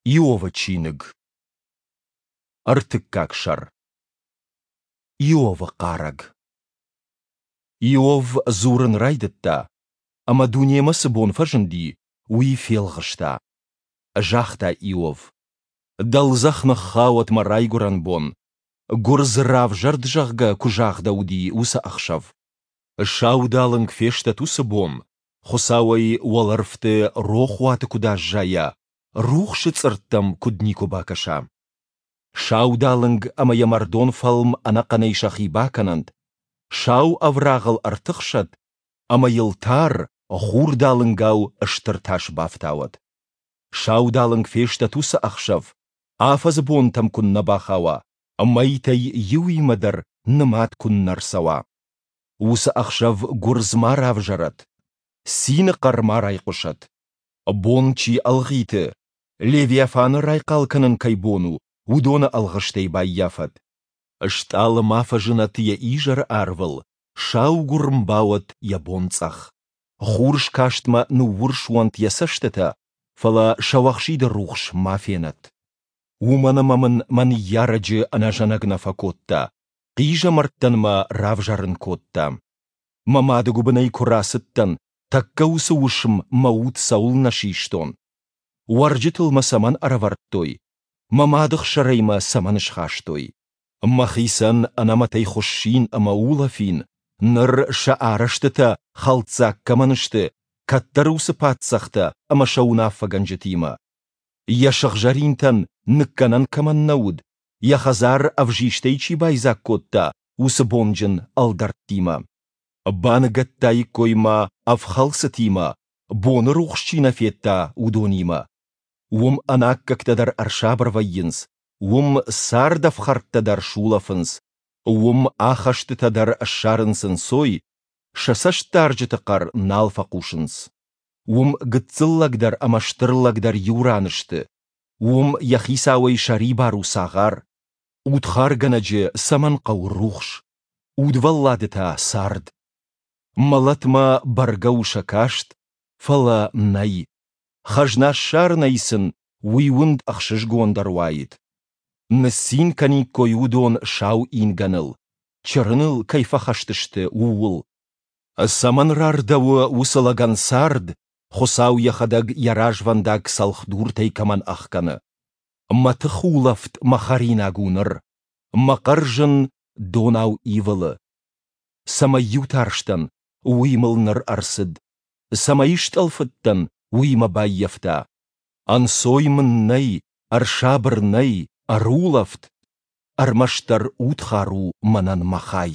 Иовы чиныг. Ӕртыккаг сӕр. Иовы хъарӕг. Иов дзурын райдыдта, ӕмӕ дунемӕ цы бон фӕзынди, уый фелгъыста. Загъта Иов: Дӕлдзӕх ныххауӕд мӕ райгуырӕн бон, гуырдз равзӕрд, зӕгъгӕ, куы загъдӕуыди, уыцы ӕхсӕв. Саудалынг фестӕд уыцы бон, Хуыцауӕй уӕлӕрвты рохуаты куыд аззайа, рухсы цъыртт ӕм куыд никуы бакӕса. Саудалынг ӕмӕ йӕ мӕрдон фӕлм ӕнӕхъӕнӕй сӕхи бакӕнӕнт, сау ӕврагъыл ӕртыхсӕд ӕмӕ йыл тар хурдалынгау стыр тас бафтауӕд. Саудалынг фестӕд уыцы ӕхсӕв, афӕдзы бонтӕм куыннӕ бахауа, мӕйтӕй иуимӕ дӕр нымад куыннӕ рцӕуа. Уыцы ӕхсӕв гуырдз ма равзӕрӕд, цины хъӕр ма райхъуысӕд. Бон чи ӕлгъиты, Левиафаны райхъал кӕнын кӕй бон у, уыдоны ӕлгъыстӕй баййафӕд. Стъалы ма фӕзынӕд йӕ изӕры арвыл, саугуырм бауӕд йӕ бонцъӕх. Хурыскастмӕ ныуурс уӕнт йӕ цӕстытӕ, фӕлӕ сӕуӕхсиды рухс ма фенӕд. Уымӕн ӕмӕ мын мӕ ныййарӕджы ӕнӕзӕнӕг нӕ фӕкодта, хъизӕмӕрттӕн мӕ равзӕрын кодта. Мӕ мады гуыбынӕй куы рацыдтӕн, тӕккӕ уыцы уысм мӕ уд цӕуылнӕ систон? Уӕрджытыл мӕ цӕмӕн ӕрӕвӕрдтой? Мӕ мады хсырӕй мӕ цӕмӕн схастой? Мӕхицӕн ӕнӕмӕтӕй хуыссин ӕмӕ улӕфин, ныр сӕ арӕзтытӕ хӕлддзаг кӕмӕн сты, кӕддӕр уыцы паддзӕхтӕ ӕмӕ сӕ уынаффӕгӕнджытимӕ. Йӕ сыгъзӕринтӕн ныккӕнӕн кӕмӕн нӕ уыд, йӕ хӕдзар ӕвзистӕй чи байдзаг кодта, уыцы бонджын ӕлдӕрттимӕ. Баныгӕдтаиккой мӕ ӕфхӕлцытимӕ, боны рухс чи нӕ федта, уыдонимӕ. Уым ӕнаккӕгтӕ дӕр ӕрсабыр вӕййынц, уым цардӕфхӕрдтӕ дӕр сулӕфынц, уым ахӕстытӕ дӕр ссарынц ӕнцой, сӕ цӕстдарджыты хъӕр нал фӕхъусынц. Уым гыццыл лӕг дӕр ӕмӕ стыр лӕг дӕр иу ран сты, уым йӕ хицауӕй сӕрибар у цагъар. Удхаргӕнӕджы цӕмӕн хъӕуы рухс, удвӕллады та цард? Мӕлӕтмӕ бӕргӕ у сӕ каст, фӕлӕ нӕй. Хӕзна ссарынӕй сын уый уынд ӕхсызгондӕр уаид. Ныццин кӕниккой уыдон сау ингӕныл, чырыныл кӕй фӕхӕст сты, ууыл. Цӕмӕн рардӕуы уыцы лӕгӕн цард, Хуыцау йӕхӕдӕг йӕ развӕндаг цӕлхдуртӕй кӕмӕн ӕхгӕны? Мӕ тыхулӕфт мӕ хӕринаг у ныр, мӕ хъӕрзын донау ивылы. Цӕмӕй-иу тарстӕн, уый мыл ныр ӕрцыд, цӕмӕй стъӕлфыдтӕн, уый мӕ баййӕфта. Ӕнцой мын нӕй, ӕрсабыр нӕй, ӕрулӕфт, ӕрмӕстдӕр удхар у мӕнӕн мӕ хай.